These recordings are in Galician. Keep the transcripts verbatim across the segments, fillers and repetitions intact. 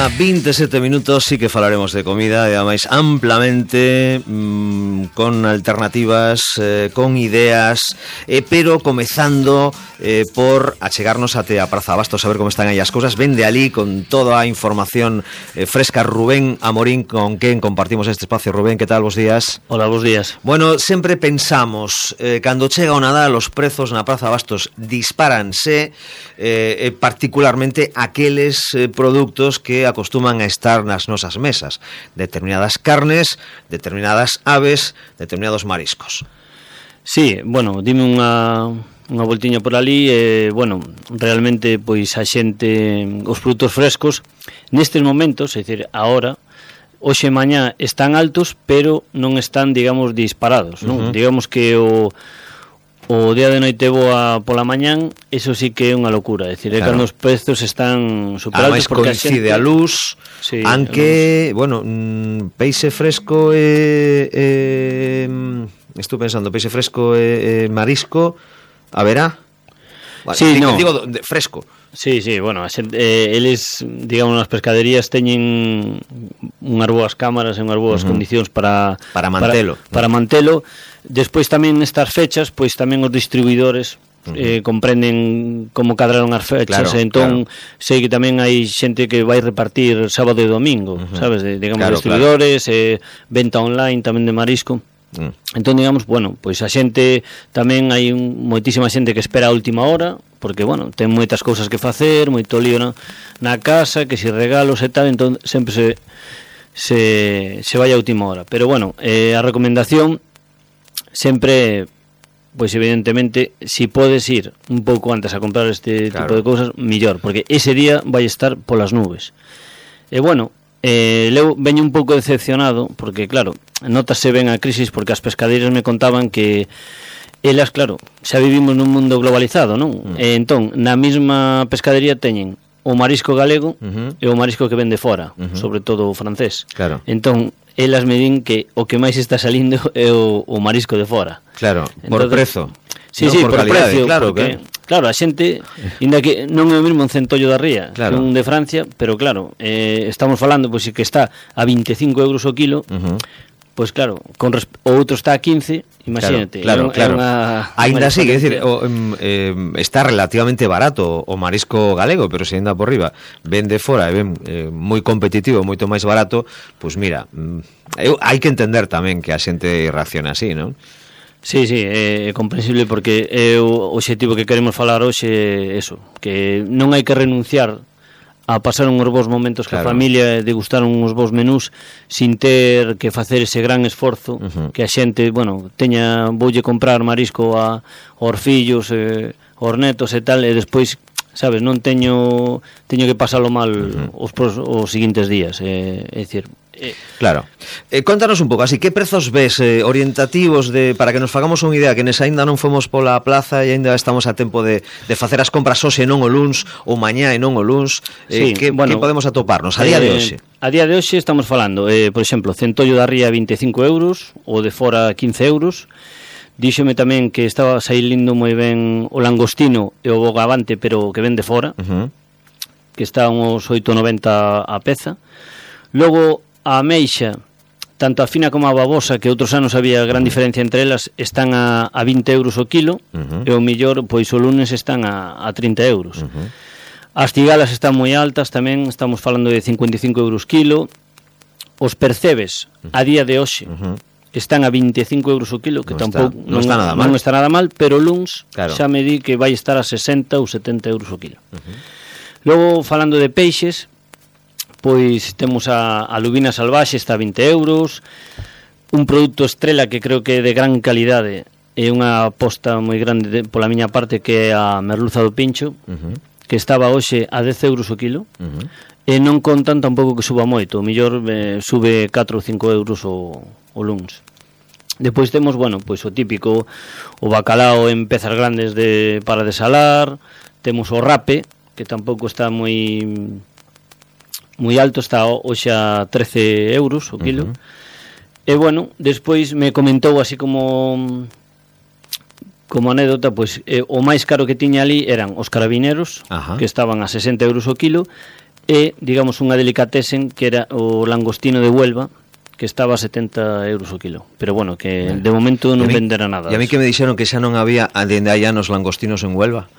unha vinte e sete minutos, sí que falaremos de comida e ademais amplamente, mmm, con alternativas, eh, con ideas, eh, pero comezando eh, por achegarnos até a Praza Abastos, a ver como están aí as cousas. Vende ali con toda a información eh, fresca Rubén Amorín, con quen compartimos este espacio. Rubén, que tal? Bos días. Hola, bos días. Bueno, sempre pensamos, eh, cando chega o Nadal, os prezos na Praza Abastos dispáranse, eh, eh, particularmente aqueles eh, produtos que acostuman a estar nas nosas mesas, determinadas carnes, determinadas aves, determinados mariscos. Sí, bueno, dime unha unha voltiña por ali e, eh, bueno, realmente, pois, a xente, os produtos frescos, nestes momentos, é dicir, ahora, hoxe e mañá están altos, pero non están, digamos, disparados, non? Uh-huh. Digamos que o o día de noite boa pola mañán, eso sí que é unha locura, é dicir, claro, é cando os prezos están super altos, porque coincide a, xente... a luz, sí, aunque, a luz. Bueno, mm, peixe fresco e, e estou pensando, peixe fresco e, e marisco, haberá? Bueno, sí, digo, no. digo de, fresco. Sí, sí, bueno, eh, eles, digamos, nas pescaderías teñen unhas boas cámaras e unhas boas uh-huh. condicións para para mantelo. Para, para mantelo. Despois tamén nestas fechas, pois tamén os distribuidores uh-huh. eh, comprenden como cadraron as fechas, claro, e entón claro. sei que tamén hai xente que vai repartir sábado e domingo, uh-huh. sabes, de, digamos, claro, distribuidores, claro. eh, venta online tamén de marisco. Mm. Entón, digamos, bueno, pois a xente tamén hai un, moitísima xente que espera a última hora, porque, bueno, ten moitas cousas que facer, moito lío na, na casa, que si regalos e tal, entón sempre se se, se vai a última hora. Pero, bueno, eh, a recomendación sempre, pois evidentemente, si podes ir un pouco antes a comprar este claro. tipo de cousas, millor, porque ese día vai estar polas nubes. E, bueno, Eh, eu veño un pouco decepcionado porque, claro, notase ben a crisis, porque as pescadeiras me contaban que elas, claro, xa vivimos nun mundo globalizado, non? Mm. E entón, na mesma pescadería teñen o marisco galego uh-huh. e o marisco que vende fora, uh-huh. sobre todo o francés. Claro. Entón, elas me din que o que máis está salindo é o, o marisco de fora. Claro, por Entonces, prezo. Sí, no, sí, por, por calidade, precio, claro, porque, que... claro, a xente, inda que non é o mesmo un centollo da ría claro. que un de Francia, pero claro, eh, estamos falando, pois, que está a vinte e cinco euros o kilo, uh-huh. pois claro, con resp- o outro está a quince, imagínate. Claro, claro, claro. Ainda así, é dicir, o, eh, está relativamente barato o marisco galego, pero se anda por riba, vende fora e ven eh, moi competitivo, moito máis barato, pois mira, eu, hai que entender tamén que a xente reacciona así, non? Sí, sí, é comprensible porque é o obxectivo que queremos falar hoxe é eso, que non hai que renunciar a pasar uns bons momentos claro. ca familia e degustar uns bons menús sin ter que facer ese gran esforzo uh-huh. que a xente, bueno, teña voulle comprar marisco a aos fillos, eh, aos netos e tal, e despois, sabes, non teño teño que pasalo mal uh-huh. os, os seguintes días, eh, é dicir, eh, claro. Eh, contanos un pouco, así, que prezos ves eh, orientativos de para que nos fagamos unha idea, que nes aínda non fomos pola plaza e aínda estamos a tempo de, de facer as compras hoxe e non o luns, ou mañá e non o luns, eh, sí, que, bueno, que podemos atoparnos a día eh, de hoxe? A día de hoxe estamos falando, eh, por exemplo, centollo da ría vinte e cinco euros, o de fora quince euros. Díxome tamén que estaba saílindo moi ben o langostino e o bogavante, pero que vende fora, uh-huh. que está uns oito noventa a peza. Logo, a ameixa, tanto a fina como a babosa, que outros anos había gran diferencia entre elas, están a, a vinte euros o kilo, uh-huh. e o millor, pois o lunes están a, a trinta euros. Uh-huh. As cigalas están moi altas tamén, estamos falando de cincuenta e cinco euros kilo. Os percebes, a día de hoxe, uh-huh. están a vinte e cinco euros o kilo, que non tampouco está, non, non, está nada mal. non está nada mal, pero o luns claro. xa me di que vai estar a sesenta ou setenta euros o kilo. Uh-huh. Logo, falando de peixes, pois temos a, a lubina salvaxe, está a vinte euros, un produto estrela que creo que é de gran calidade, é unha aposta moi grande de, pola miña parte, que é a merluza do pincho, uh-huh. que estaba hoxe a dez euros o kilo, uh-huh. e non contan tampouco que suba moito, o mellor eh, sube catro ou cinco euros o, o luns. Depois temos, bueno, pois o típico, o bacalao en pezas grandes de para desalar, temos o rape, que tampouco está moi moi alto, está hoxe a trece euros o kilo. Uh-huh. E, bueno, despois me comentou así como como anécdota, pois eh, o máis caro que tiña ali eran os carabineros, Ajá. que estaban a sesenta euros o kilo, e, digamos, unha delicatessen que era o langostino de Huelva, que estaba a setenta euros o kilo. Pero bueno, que de momento non venderá nada. E a mí que me dixeron que xa non había dende hai anos langostinos en Huelva.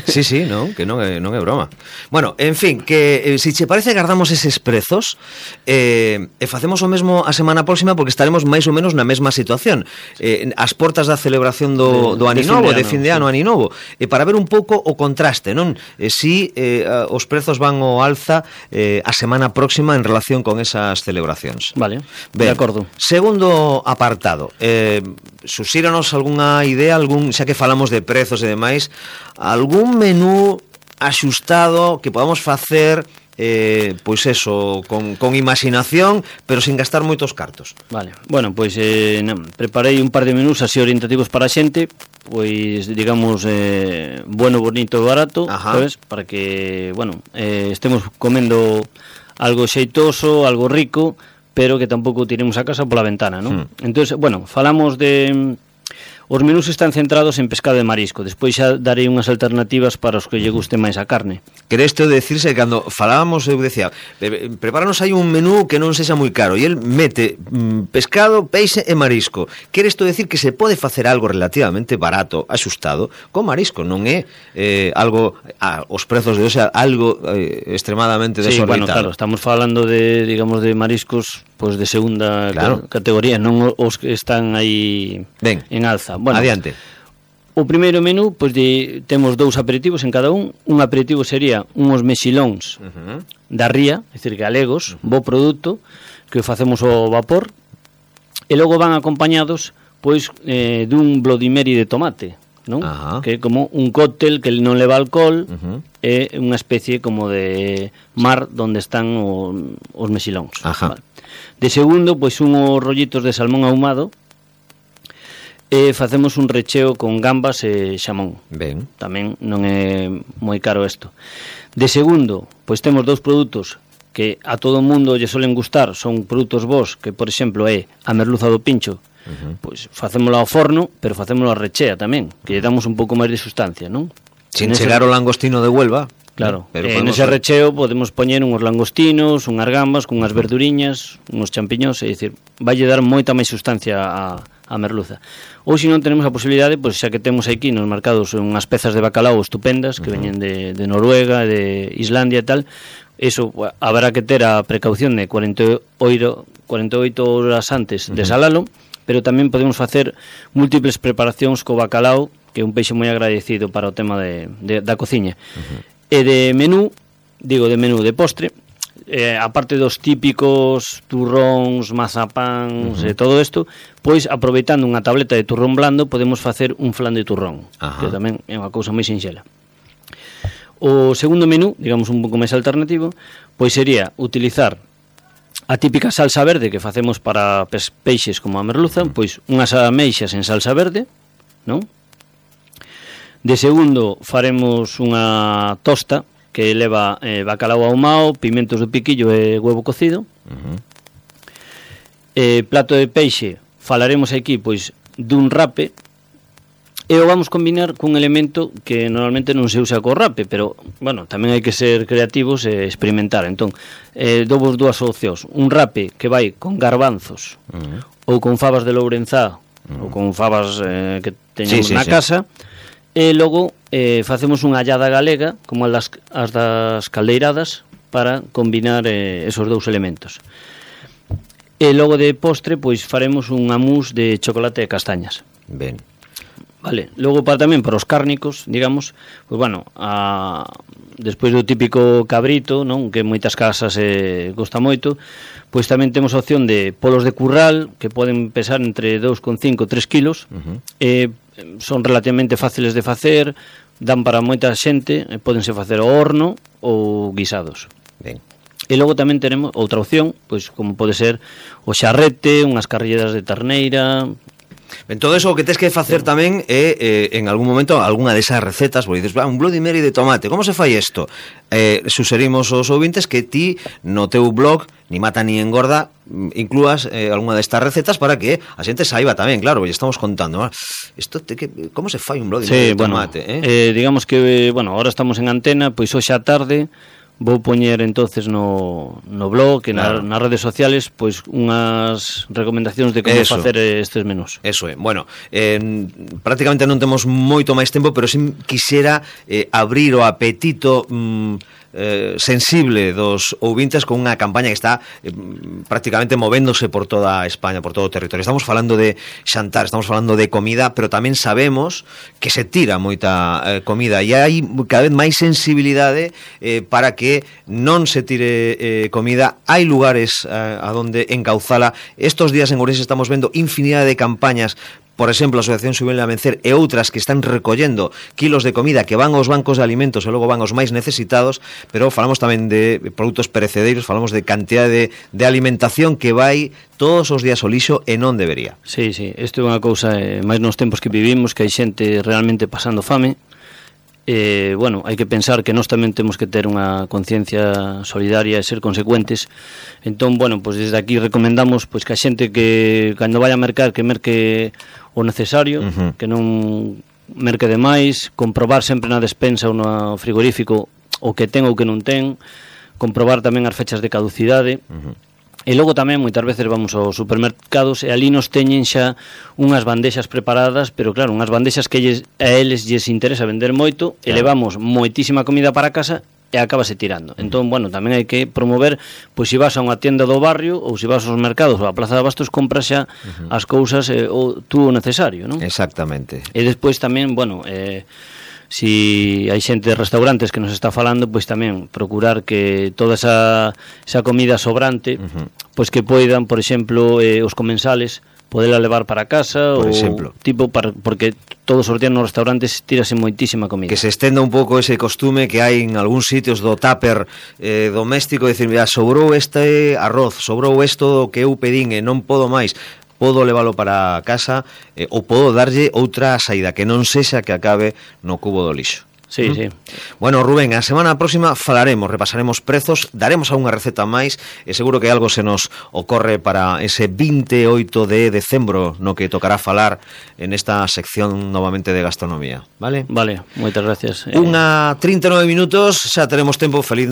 Sí, sí, non, que non é, non é broma. Bueno, en fin, que eh, si che parece guardamos eses prezos eh, e facemos o mesmo a semana próxima porque estaremos máis ou menos na mesma situación. Eh, as portas da celebración do, do Aninovo, de fin de ano, sí. Aninovo, e para ver un pouco o contraste, non? Eh, si eh, os prezos van ao alza eh, a semana próxima en relación con esas celebracións. Vale. Ben, de acordo. Segundo apartado, eh, suxíranos algunha idea, algún, xa que falamos de prezos e demais, algún menú axustado que podamos facer, eh, pois eso, con, con imaginación, pero sin gastar moitos cartos. Vale, bueno, pois eh, non, preparei un par de menús así orientativos para a xente, pois digamos eh, bueno, bonito e barato, sabes? Para que, bueno, eh, estemos comendo algo xeitoso, algo rico, pero que tampouco tiremos a casa pola ventana, non? Hmm. Entonces, bueno, falamos de... Os menús están centrados en pescado e marisco. Despois xa darei unhas alternativas para os que lle guste máis a carne. Quere isto decirse que cando falábamos, eu decía, prepáranos aí un menú que non sexa moi caro, e el mete mm, pescado, peixe e marisco. Quere isto decir que se pode facer algo relativamente barato, axustado, con marisco, non é eh, algo, ah, os prezos de hoxe, algo eh, extremadamente desorbitado. Sí, bueno, claro, estamos falando de, digamos, de mariscos pues de segunda claro. categoría, non os que están aí ben, en alza. Bueno, adiante. O primeiro menú, pois de, temos dous aperitivos en cada un. Un aperitivo sería unhos mexilóns uh-huh. da ría, é dicir, galegos, uh-huh. bo produto, que facemos ao vapor, e logo van acompañados pois eh, dun Bloody Mary de tomate, non? Uh-huh. Que é como un cóctel que non leva alcohol, uh-huh. é unha especie como de mar onde están o, os mexilóns. Uh-huh. Vale. De segundo, pois unhos rollitos de salmón ahumado, e facemos un recheo con gambas e xamón. Ben. Tamén non é moi caro isto. De segundo, pois temos dous produtos que a todo o mundo lle solen gustar, son produtos vos, que por exemplo é a merluza do pincho. Uh-huh. Pois facémolo ao forno, pero facémolo a rechea tamén, que lle damos un pouco máis de sustancia, non? Sin chegar o langostino de Huelva. Claro, pero en ese recheo podemos poñer unhos langostinos, unhas gambas, con unhas verduriñas, unhos champiñóns, é dicir, vai dar moita máis sustancia a, a merluza. Ou se non tenemos a posibilidade, pois xa que temos aquí nos mercados unhas pezas de bacalao estupendas que uh-huh. veñen de, de Noruega, de Islandia e tal, eso habrá que ter a precaución de cuarenta e oito horas antes uh-huh. de salalo, pero tamén podemos facer múltiples preparacións co bacalao, que é un peixe moi agradecido para o tema de, de, da cociña. Uh-huh. E de menú, digo de menú de postre, eh, aparte dos típicos turróns, mazapáns uh-huh. e todo isto, pois aproveitando unha tableta de turrón blando podemos facer un flan de turrón, uh-huh. que tamén é unha cousa moi sinxela. O segundo menú, digamos un pouco máis alternativo, pois sería utilizar a típica salsa verde que facemos para peixes como a merluza, uh-huh. pois unhas ameixas en salsa verde, non? De segundo, faremos unha tosta que leva eh, bacalao ahumado, pimentos do piquillo e huevo cocido. Uh-huh. Eh, plato de peixe, falaremos aquí pois dun rape, e o vamos combinar cun elemento que normalmente non se usa co rape, pero, bueno, tamén hai que ser creativos e experimentar. Entón, eh, dovos dúas opcións. Un rape que vai con garbanzos uh-huh. ou con fabas de Lourenzá uh-huh. ou con fabas eh, que teñamos sí, sí, na sí. casa. E logo eh, facemos unha allada galega como as, as das caldeiradas para combinar eh, esos dous elementos. E logo de postre pois faremos unha mousse de chocolate e castañas. Ben. Vale, logo para tamén para os cárnicos, digamos, pois bueno, a, despois do típico cabrito, non, que en moitas casas eh, gosta moito, pois tamén temos a opción de polos de curral que poden pesar entre dous coma cinco a tres kilos. Uh-huh. E son relativamente fáciles de facer, dan para moita xente, pódense facer ao horno ou guisados. Ben. E logo tamén tenemos outra opción, pois como pode ser o xarrete, unhas carrilleras de terneira. En todo eso o que tens que facer tamén é eh, en algún momento algunha desas recetas, porque dices, un Bloody Mary de tomate, como se fai isto? Eh, suxerimos aos ouvintes que ti no teu blog Ni Mata Ni Engorda inclúas eh, algunha destas recetas para que a xente saiba tamén, claro, porque estamos contando, ah, isto te, que, como se fai un Bloody Mary sí, de tomate? Bueno, eh? Eh, digamos que, bueno, ahora estamos en antena, pois hoxe á tarde vou poñer entonces no, no blog e claro. na, nas redes sociales pois unhas recomendacións de como Eso. facer estes menús. Eso é. Bueno, eh, prácticamente non temos moito máis tempo, pero si quixera eh, abrir o apetito mm, Eh, sensible dos ouvintes con unha campaña que está eh, prácticamente movéndose por toda España, por todo o territorio. Estamos falando de xantar, estamos falando de comida, pero tamén sabemos que se tira moita eh, comida e hai cada vez máis sensibilidade eh, para que non se tire eh, comida. Hai lugares eh, a donde encauzala. Estos días en Ourense estamos vendo infinidade de campañas, por exemplo, a Asociación Xuvenil a Vencer e outras que están recollendo kilos de comida que van aos bancos de alimentos e logo van aos máis necesitados, pero falamos tamén de produtos perecedeiros, falamos de cantidade de, de alimentación que vai todos os días ao lixo e non debería. Sí, sí, isto é unha cousa, eh, máis nos tempos que vivimos, que hai xente realmente pasando fame. Eh, bueno, hai que pensar que nós tamén temos que ter unha conciencia solidaria e ser consecuentes. Entón, bueno, pois desde aquí recomendamos pois que a xente que cando vaya a mercar que merque o necesario, uh-huh. que non merque demais, comprobar sempre na despensa ou no frigorífico o que ten ou que non ten, comprobar tamén as fechas de caducidade. Uh-huh. E logo tamén moitas veces vamos aos supermercados e ali nos teñen xa unhas bandexas preparadas, pero claro, unhas bandexas que lles, a eles lles interesa vender moito, claro. E levamos moitísima comida para casa e acabase tirando. Entón, bueno, tamén hai que promover, pois se vas a unha tienda do barrio ou se vas aos mercados ou a Plaza de Abastos, compras xa uh-huh. as cousas eh, o tú o necesario, non? Exactamente. E despois tamén, bueno, eh si hai xente de restaurantes que nos está falando, pois tamén procurar que toda esa, esa comida sobrante, uh-huh. pois que poidan, por exemplo, eh, os comensales podela levar para casa, por ou exemplo. tipo para, porque todos os días nos restaurantes tirase moitísima comida. Que se estenda un pouco ese costume que hai en algúns sitios do tupper eh, doméstico, decir, mira, sobrou este arroz, sobrou isto que eu pedín e non podo máis, podo leválo para casa eh, ou podo darlle outra saída que non sexa que acabe no cubo do lixo. Sí, ¿Mm? sí. Bueno, Rubén, a semana próxima falaremos, repasaremos prezos, daremos algunha receta máis e seguro que algo se nos ocorre para ese vinte e oito de decembro no que tocará falar en esta sección novamente de gastronomía, vale? Vale, moitas gracias. Unha trinta e nove minutos, xa teremos tempo. Feliz